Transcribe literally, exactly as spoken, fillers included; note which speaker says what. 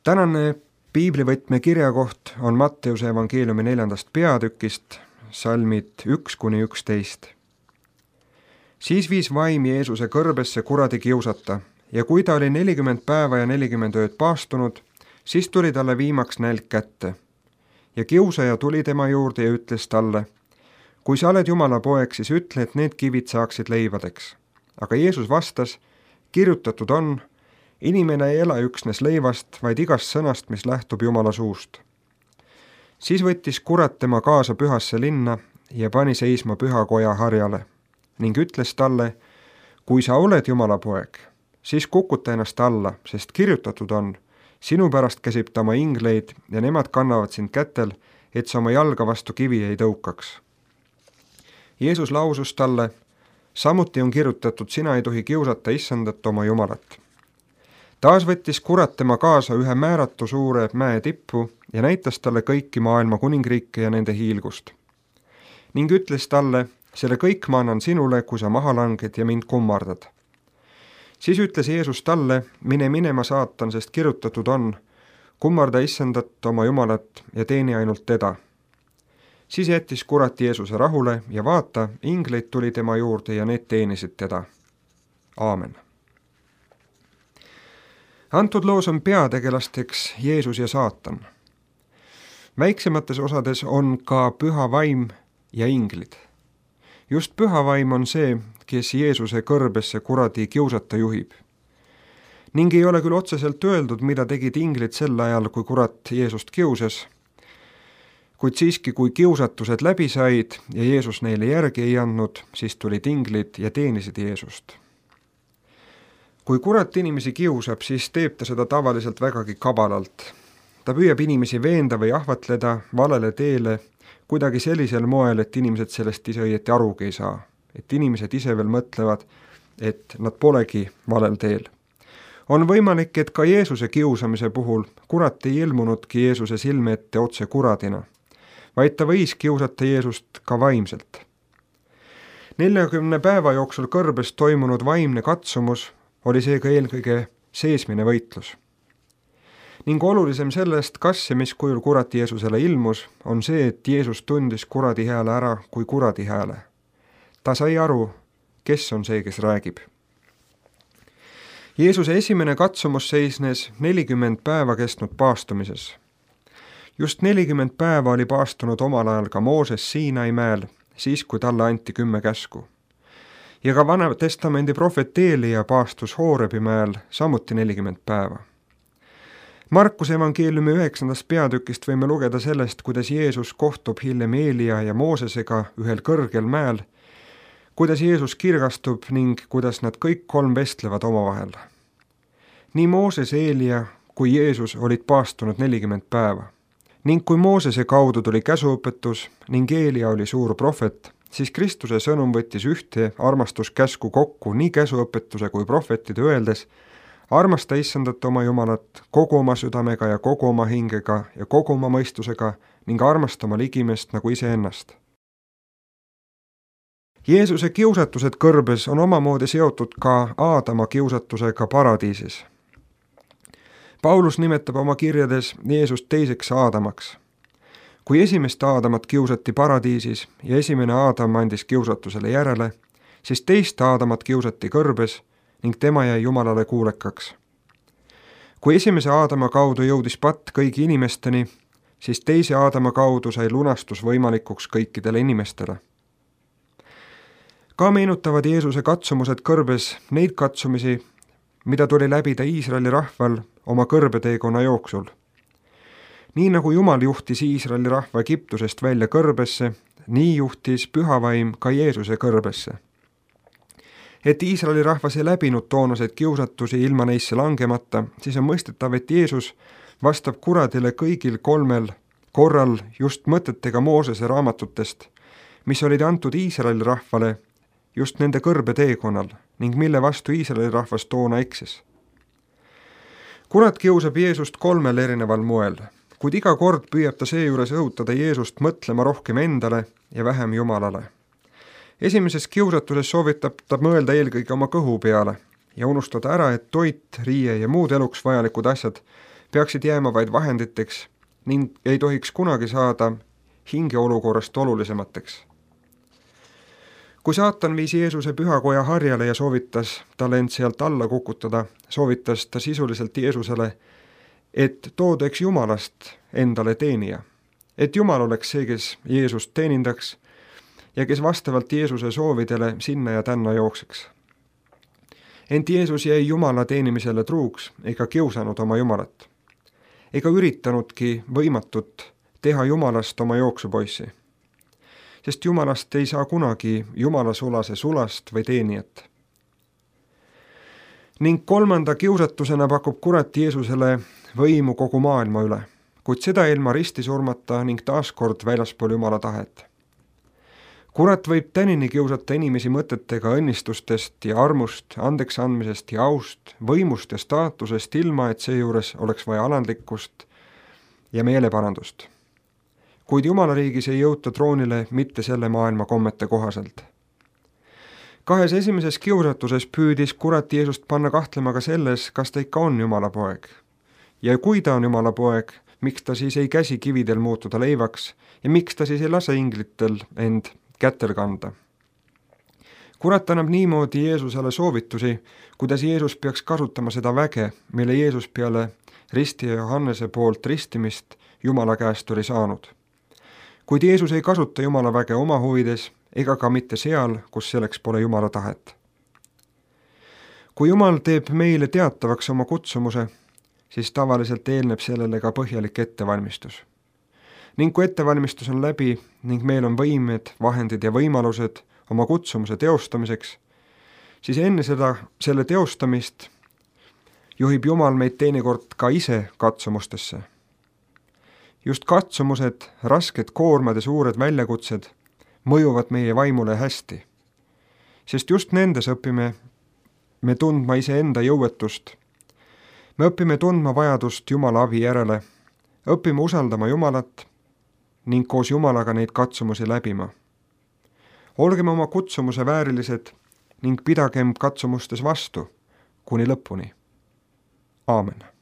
Speaker 1: Tänane piiblivõtme kirjakoht on Matteuse evangeeliumi neljandast peatükist, salmid üks kuni üksteist. Siis viis vaim Jeesuse kõrbesse kuradi kiusata ja kui ta oli nelikümmend päeva ja nelikümmend ööd paastunud, siis tuli talle viimaks nälg kätte. Ja kiusaja tuli tema juurde ja ütles talle, kui sa oled Jumala poeg, siis ütle, et need kivid saaksid leivadeks. Aga Jeesus vastas, kirjutatud on, inimene ei ela üksnes leivast, vaid igast sõnast, mis lähtub Jumala suust. Siis võttis kurat tema kaasa pühasse linna ja pani seisma pühakoja harjale ning ütles talle, kui sa oled Jumala poeg, siis kukuta ennast alla, sest kirjutatud on, sinu pärast käsib ta oma ingleid ja nemad kannavad sind kätel, et sa oma jalga vastu kivi ei tõukaks. Jeesus lausus talle, samuti on kirjutatud, sina ei tohi kiusata issandat oma Jumalat. Taas võttis kurat tema kaasa ühe määratu suure mäe tippu ja näitas talle kõiki maailma kuningriike ja nende hiilgust. Ning ütles talle, selle kõik ma annan sinule, kui sa maha langed ja mind kummardad. Siis ütles Jeesus talle, mine minema saatan, sest kirjutatud on, kummarda issandat oma Jumalat ja teeni ainult teda. Siis jättis kurat Jeesuse rahule ja vaata, ingleid tuli tema juurde ja need teenisid teda. Aamen. Antud loos on peategelasteks Jeesus ja saatan. Väiksemates osades on ka püha vaim ja inglid. Just püha vaim on see, kes Jeesuse kõrbesse kuradi kiusata juhib. Ning ei ole küll otseselt öeldud, mida tegid inglid sel ajal, kui kurat Jeesust kiusas, kuid siiski, kui kiusatused läbi said ja Jeesus neile järgi ei andnud, siis tulid inglid ja teenisid Jeesust. Kui kurat inimesi kiusab, siis teeb ta seda tavaliselt vägagi kabalalt. Ta püüab inimesi veenda või ahvatleda valele teele kuidagi sellisel moel, et inimesed sellest ise õieti arugi ei saa. Et inimesed ise veel mõtlevad, et nad polegi valel teel. On võimalik, et ka Jeesuse kiusamise puhul kurat ei ilmunudki Jeesuse silme ette otse kuradina, vaid ta võis kiusata Jeesust ka vaimselt. neljakümne päeva jooksul kõrbes toimunud vaimne katsumus oli seega eelkõige seesmine võitlus. Ning olulisem sellest, kas ja mis kujul kurat Jeesusele ilmus, on see, et Jeesus tundis kuradi hääle ära kui kuradi hääle. Ta sai aru, kes on see, kes räägib. Jeesuse esimene katsumus seisnes nelikümmend päeva kestnud paastumises. Just nelikümmend päeva oli paastunud omal ajal ka Mooses Siinai mäel, siis kui talle anti kümme käsku. Ja ka Vana Testamendi prohvet Eelia paastus Hoorebi mäel samuti nelikümmend päeva. Markuse evangeeliumi üheksandast peatükist võime lugeda sellest, kuidas Jeesus kohtub hiljem Eelia ja Moosesega ühel kõrgel mäel, kuidas Jeesus kirgastub ning kuidas nad kõik kolm vestlevad omavahel. Nii Mooses, Eelia kui Jeesus olid paastunud nelikümmend päeva. Ning kui Moosese kaudu tuli käsuõpetus ning Eelia oli suur prohvet, siis Kristuse sõnum võttis ühte armastuskäsku kokku nii käsuõpetuse kui prohvetide öeldes, armasta issandat oma Jumalat kogu oma südamega ja kogu oma hingega ja kogu oma mõistusega ning armasta oma ligimest nagu iseennast. Jeesuse kiusatused kõrbes on omamoodi seotud ka Aadama kiusatusega paradiisis. Paulus nimetab oma kirjades Jeesust teiseks Aadamaks. Kui esimest Aadamat kiusati paradiisis ja esimene Aadam andis kiusatusele järele, siis teist Aadamat kiusati kõrbes ning tema jäi Jumalale kuulekaks. Kui esimese Aadama kaudu jõudis patt kõigi inimesteni, siis teise Aadama kaudu sai lunastus võimalikuks kõikidele inimestele. Ka meenutavad Jeesuse katsumused kõrbes neid katsumisi, mida tuli läbida Iisraeli rahval oma kõrbeteekonna jooksul. Nii nagu Jumal juhtis Iisraeli rahva Egiptusest välja kõrbesse, nii juhtis pühavaim ka Jeesuse kõrbesse. Et Iisraeli rahvas ei läbinud toonaseid kiusatusi ilma neisse langemata, siis on mõistetav, et Jeesus vastab kuradile kõigil kolmel korral just mõtetega Moosese raamatutest, mis olid antud Iisraeli rahvale just nende kõrbeteekonnal ning mille vastu Iisraeli rahvas toona eksis. Kurat kiusab Jeesust kolmel erineval moel, kuid iga kord püüab ta seejuures õhutada Jeesust mõtlema rohkem endale ja vähem Jumalale. Esimeses kiusatuses soovitab ta mõelda eelkõige oma kõhu peale ja unustada ära, et toit, riie ja muud eluks vajalikud asjad peaksid jääma vaid vahenditeks ning ei tohiks kunagi saada hingeolukorrast olulisemateks. Kui saatan viis Jeesuse pühakoja harjale ja soovitas talle end sealt alla kukutada, soovitas ta sisuliselt Jeesusele, et toodaks Jumalast endale teenija, et Jumal oleks see, kes Jeesust teenindaks ja kes vastavalt Jeesuse soovidele sinna ja tänna jookseks. Ent Jeesus jäi Jumala teenimisele truuks ega kiusanud oma Jumalat, ega üritanudki võimatut teha Jumalast oma jooksupoissi, sest Jumalast ei saa kunagi Jumala sulase sulast või teenijat. Ning kolmanda kiusatusena pakub kurat Jeesusele võimu kogu maailma üle, kuid seda ilma risti surmata ning taaskord väljaspool Jumala tahet. Kurat võib tänini kiusata inimesi mõtetega õnnistustest ja armust, andeks andmisest ja aust, võimust ja staatusest, ilma et seejuures oleks vaja alandlikkust ja meeleparandust. Kuid Jumala riigis ei jõuta troonile mitte selle maailma kommete kohaselt. Kahes esimeses kiusatuses püüdis kurat Jeesust panna kahtlema ka selles, kas ta ikka on Jumala poeg. Ja kui ta on Jumala poeg, miks ta siis ei käsi kividel muutuda leivaks ja miks ta siis ei lase inglitel end kätel kanda. Kurat annab niimoodi Jeesusele soovitusi, kuidas Jeesus peaks kasutama seda väge, mille Jeesus peale risti ja Johannese poolt ristimist Jumala käest oli saanud. Kuid Jeesus ei kasuta Jumala väge oma huvides ega ka mitte seal, kus selleks pole Jumala tahet. Kui Jumal teeb meile teatavaks oma kutsumuse, siis tavaliselt eelneb sellele ka põhjalik ettevalmistus. Ning kui ettevalmistus on läbi ning meil on võimed, vahendid ja võimalused oma kutsumuse teostamiseks, siis enne seda, selle teostamist juhib Jumal meid teinekord ka ise katsumustesse. Just katsumused, rasked koormad ja suured väljakutsed mõjuvad meie vaimule hästi, sest just nendes õpime me tundma iseenda jõuetust. Me õpime tundma vajadust Jumala abi järele, õpime usaldama Jumalat ning koos Jumalaga neid katsumusi läbima. Olgem oma kutsumuse väärilised ning pidagem katsumustes vastu kuni lõpuni. Aamen.